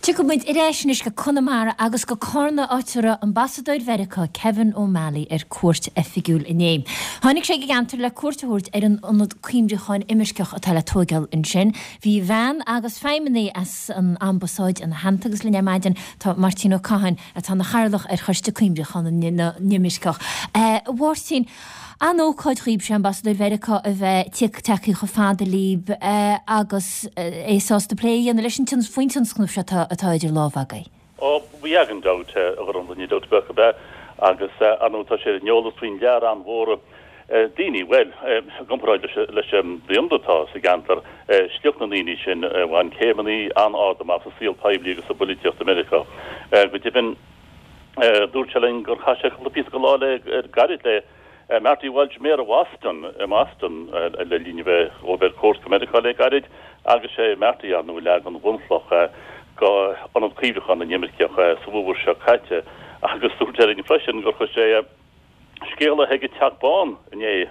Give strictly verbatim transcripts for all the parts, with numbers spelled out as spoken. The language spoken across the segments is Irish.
Tiocfaidh muid ar ais anois go Conamara agus go Carna, áit a raibh Ambasadóir Mheiriceá Kevin O'Malley ar cuairt oifigiúil inné. Tháinig sé go gceantar le cuairt a thabhairt ar an ionad cuimhneacháin imirceach atá le tóigeáil ansin. Bhí bhean agus feidhmeannaigh as an ambasáid ina theannta agus linn ar maidin tá Máirtín Ó Catháin atá ina chathaoirleach ar Choiste Cuimhneacháin na nImirceach. A Mháirtín, an-ócáid dhaoibhse Ambasadóir Mheiriceá a bheith tagtha chomh fada libh agus é sásta plé a dhéanamh leis an faoin tionscnamh seo atá idir lámha agaibh. Ó bhí gan dabht a Ghormfhlaith, ní dabht beag ar bith agus ar ndóigh tá sé ar an eolas faoin lear an-mhór daoine, bhuel, i gcomparáid leis an daonra atá sa gceantar, sliocht na ndaoine sin a bhain céimeanna an-ard amach sa saol poiblí agus sa bpolaitíocht i Meiriceá. Go deimhin, dúirt sé linn gur chaith sé cúpla píosa de lá le gairid le Marty Walsh, Méara Bhoston i mBoston le linn a bheith ó bheith cuairt go Meiriceá le gairid agus sé Marty ar ndóigh a leag an bhunchloch go ionad cuimhneacháin na n-imirceach sa bhfómhar seo caite agus dúirt sé linn freisin gur chuir sé scéala chuig an Teach Bán inné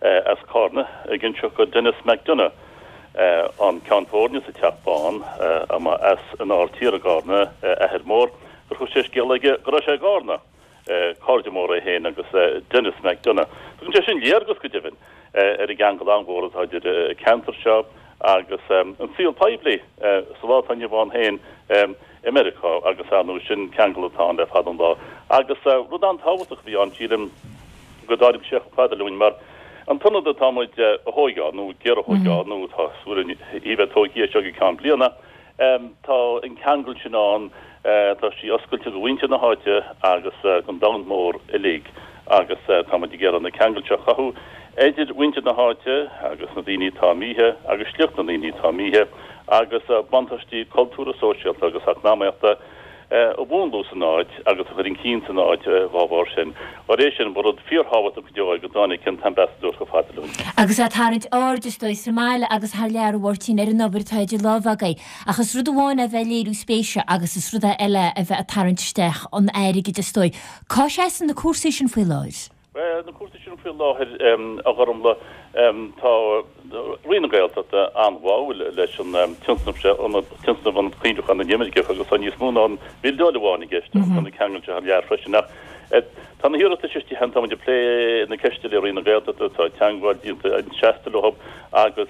as Carna ag inseacht go Denis McDonough an ceann foirne sa Teach Bán as an Aird Thiar i gCarna a athair mór gur chuir sé scéala aige go raibh sé i gCarna. Cairde móra é féin agus Denis McDonough. Tugann sé sin léargas go deimhin ar an gceangal an-mhór atá idir an ceantar seo agus an saol poiblí sa lá atá inniu ann féin i Meiriceá agus ar ndóigh sin ceangal atá ann le fada an lá. Agus rud an-tábhachtach a bhí ann, sílim, go dtáinig sé chomh fada linn mar an t-ionad atá muid a thóigeáil nó ag iarraidh a thóigeáil nó atá súil í bheith tógtha as seo go ceann bliana, Tá an ceangal sin ann, tá sí oscailte do mhuintir na háite agus don domhan mór uilig agus tá muid ag iarraidh na ceangail seo a chothú idir mhuintir na háite agus na daoine atá imithe agus sliocht na ndaoine atá imithe agus buntáistí cultúrtha, sóisialta agus eacnamaíochta a mhúnlú san áit agus a chur chun cinn san áit dá bharr sin. Dá réir sin, ba rud fíorthábhachtach go deo é go dtáinig an tAmbasadóir chomh fada linn. Agus é ag tarraingt aird, is dóigh, sa mbaile agus thar lear, a Mháirtín, ar an obair atá idir lámha agaibh. Ach is rud amháin é a bheith ag léiriú spéise agus is rud eile a bheith ag tarraingt isteach an airgid, is dóigh. Cá seasann na cúrsaí sin faoi láthair? Bhuel, na cúrsaí sin faoi láthair, a Ghormfhlaith, tá Roinn na Gaeltachta an-bháúil leis an tionscnamh seo, tionscnamh Ionad Cuimhneacháin na nImirceach agus tá níos mó ná an bhildeáil amháin i gceist agus tá na ceangail seo thar lear freisin. Ach tá na hiarratais istigh cheana, tá muid ag plé na ceiste le Roinn na Gaeltachta, tá teagmháil déanta seasta leo agus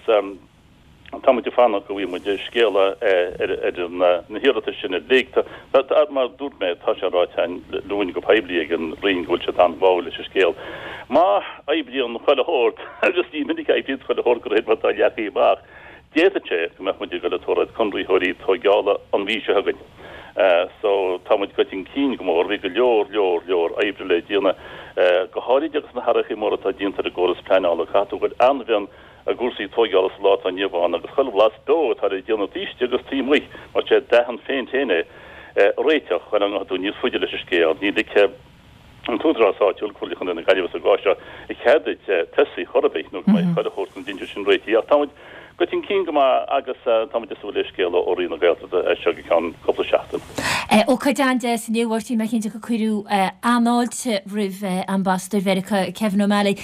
Tá muid ag fanacht go bhfaighidh muid scéala ar na hiarratais sin uilig. Mar a dúirt mé, tá sé ráite linn go poiblí ag an Roinn go bhfuil siad an-bháúil leis an scéal. Má oibríonn chuile shórt, agus ní minic a oibríonn chuile shórt de réir mar atá leagtha amach, d'fhéadfadh sé go mbeadh muid ag dul ag tabhairt conraitheoirí tóigeála an mhí seo chugainn. So, tá muid goite chun cinn go mór. Bhí go leor, leor, leor oibre le déanamh, go háirid agus na hathruithe móra atá déanta ar an gcóras pleanála. Caithfidh tú a bheith an-mhion i gcúrsaí tóigeála sa lá atá inniu ann agus chuile bhlas beo atá le déanamh taobh istigh agus taobh amuigh mar sé dath an phéint féin é a réiteach chun go ngabhfaidh tú níos faide leis an scéal. Ní ligfidh an t-údarás áitiúil, Comhairle Chontae na Gaillimhe sa gcás seo, cead duit tosaí chor ar bith nó go mbeidh chuile shórt na dtinte sin réitithe. Ach tá muid goite chun cinn go maith agus tá muid ag súil le scéala ó Roinn na Gaeltachta as seo go ceann cúpla seachtain. Ócáid an-deas inniu, a Mháirtín, mé cinnte gur cuireadh an-fháilte roimh Ambasadóir Mheiriceá Kevin O'Malley.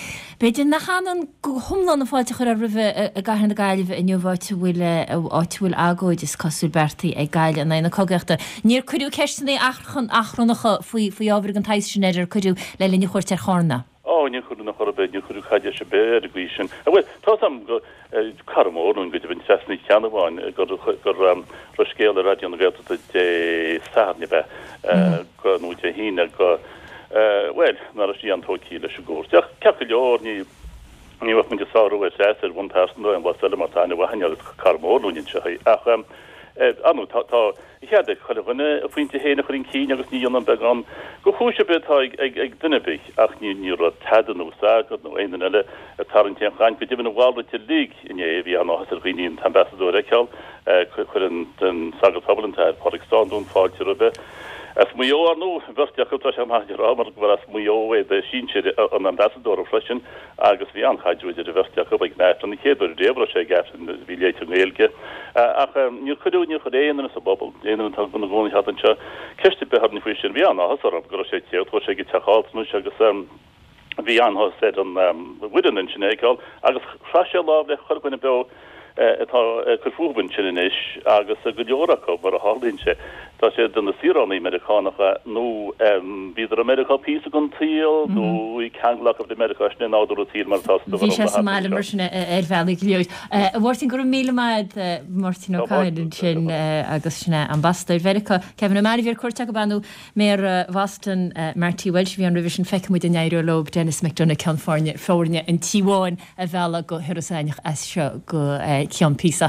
B'fhéidir nach ionann go hiomlán an fáilte a cuireadh roimhe i gcathair na Gaillimhe inniu, áit a bhfuil áit a bhfuil agóid, is cosúil, beartaithe ag Gaillimh in aghaidh na cogaíochta. Níor cuireadh ceisteanna achrannacha faoi faoi ábhar den tsaghas sin air ar cuireadh le linn a chuairt ar Charna. Ó, níor cuireadh in chor ar bith, níor cuireadh caidéis ar bith air an gcaoi sin. Bhuel, tá 'fhios a'm go, cara mór linn go deimhin, Treasa Ní Cheannabháin, gur gur raibh scéal ar Raidió na Gaeltachta Dé Sathairn ab ea, go, nó Dé hAoine, go, Bhuel, nach raibh sí an-tógtha leis an gcuairt. Ach ceart go leor, ní ní bheadh muid ag sárú ar Threasa ar bhonn pearsanta nó aon bhlas eile mar tá aithne mhaith againn uirthi, is cara mór linn anseo í. Ach, ar ndóigh, tá tá cead ag chuile dhuine a phointe féin a chur chun cinn agus ní dhéanann beagán de chúis ar bith atá ag ag ag duine ar bith. Ach ní ní raibh tada nó sagart nó aon duine eile ag tarraingt aon chaint. Go deimhin an mhalrait uilig inné, bhí an-áthas ar dhaoine an t-ambasadóir a fheiceáil. Chuir an sagart pobail, an tAthair Pádraig Standún, fáilte roimhe. As Maigh Eo, ar ndóigh, an bheirt acu, tá sé maith a rá mar gur as Maigh Eo é do shinsir an ambasadóra freisin, agus bhí an-chaidreamh idir an bheirt acu ag an Aifreann, an chéad uair riamh a raibh sé ag Aifreann a bhí léite i nGaeilge. Ach níor cuireadh, níor chuir aon duine sa bpobal, aon duine atá ina gcónaí thart anseo, ceist ar bith orainn faoi sin. Bhí an-áthas orthu go raibh sé ag tíocht, chuaigh sé go teach altranais agus. Bhí an-áthas ar an bhfoireann ansin é a fheiceáil agus chraith sé lámh le chuile dhuine beo atá ag cur fúthu ansin anois agus go leor acu, mar a tharlaíonn sé, tá siad ina saoránaigh Meiriceánacha nó bhíodar i Meiriceá píosa den tsaol nó bhí ceangal acu le Meiriceá, sin é nádúr an tsaoil mar atá sa Bhí sé sa mbaile mar sin ar bhealaí go leor. A Mháirtín, go raibh míle maith agat, Máirtín Ó Cadhain ansin agus sin é Ambasadóir Mheiriceá, Kevin O'Malley, a bhí ar cuairt acu nó Méara Bhoston, Marty Walsh a bhí ann roimhe sin, feicfidh muid an éireoidh leo Denis McDonough, Ceann Foirne, Foirne an Tí Bháin a mhealladh go hIorras Aithneach as seo go ceann píosa.